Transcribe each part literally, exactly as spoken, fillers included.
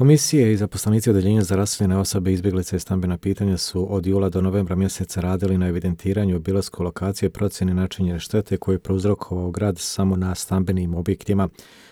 Komisije i zaposlenici Odeljenja za raseljene osobe, izbjeglice i stambena pitanja su od jula do novembra mjeseca radili na evidentiranju, obilasku lokacije, procjeni načinjene štete koje je prouzrokovao grad samo na stambenim objektima.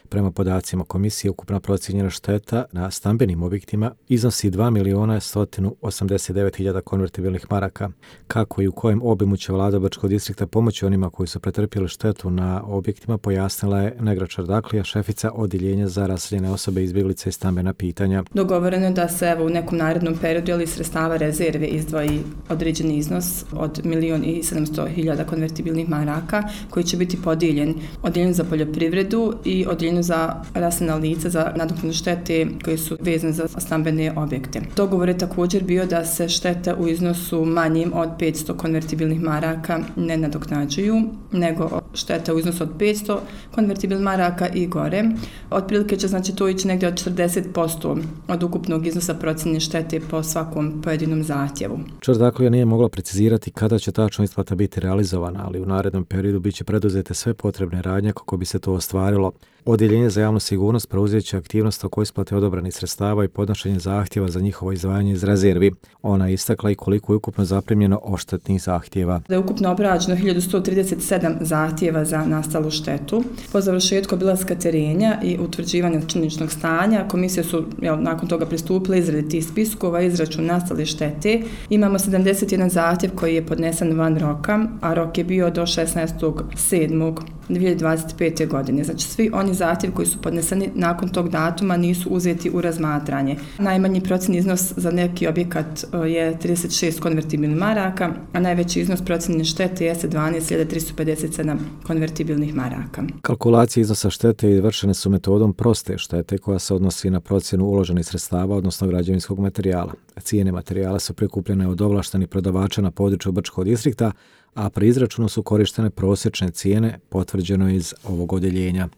Prema podacima komisije, ukupna procijenjena šteta na stambenim objektima iznosi dva miliona sto osamdeset devet hiljada konvertibilnih maraka. Kako i u kojem obimu će vlada Brčkog distrikta pomoći onima koji su pretrpjeli štetu na objektima, pojasnila je Negra Čardaklija, šefica Odjeljenja za raseljene osobe, izbjeglice i stambena pitanja. Dogovoreno je da se evo, u nekom narednom periodu ili sredstava rezerve izdvoji određeni iznos od milion i sedamsto hiljada konvertibilnih maraka koji će biti podijeljen Odjeljenju za poljoprivredu i Odjeljenju za raseljena lica za nadoknadu štete koji su vezane za stambene objekte. Dogovor je također bio da se štete u iznosu manjim od petsto konvertibilnih maraka ne nadoknađuju, nego štete u iznosu od petsto konvertibilnih maraka i gore. Otprilike će znači to ići negdje od četrdeset posto od ukupnog iznosa procjene štete po svakom pojedinom zahtjevu. Čardaklija nije mogla precizirati kada će tačno isplata biti realizovana, ali u narednom periodu biće preduzete sve potrebne radnje kako bi se to ostvarilo. Odjeljenje za javnu sigurnost preuzet će aktivnost oko isplate odobranih sredstava i podnošenje zahtjeva za njihovo izdvajanje iz rezervi. Ona je istakla i koliko je ukupno zaprimljeno odštetnih zahtjeva. Da je ukupno obrađeno hiljadu sto trideset sedam zahtjeva za nastalu štetu. Po završetku obilaska terenja i utvrđivanja činjeničnog stanja, komisije su jel, nakon toga pristupile izradi tih spiskova, izračun nastale štete. Imamo sedamdeset jedan zahtjev koji je podnesen van roka, a rok je bio do šesnaestog sedmog dvije hiljade dvadeset pete. godine. Znači svi oni zahtjevi koji su podneseni nakon tog datuma nisu uzeti u razmatranje. Najmanji procjeni iznos za neki objekat je trideset šest konvertibilnih maraka, a najveći iznos procjene štete jeste dvanaest hiljada tristo pedeset sedam konvertibilnih maraka. Kalkulacije iznosa štete izvršene su metodom proste štete koja se odnosi na procjenu uloženih sredstava, odnosno građevinskog materijala. Cijene materijala su prikupljene od ovlaštenih prodavača na području Brčkog distrikta, a pri izračunu su korištene prosječne cijene, potvrđeno iz ovog odjeljenja.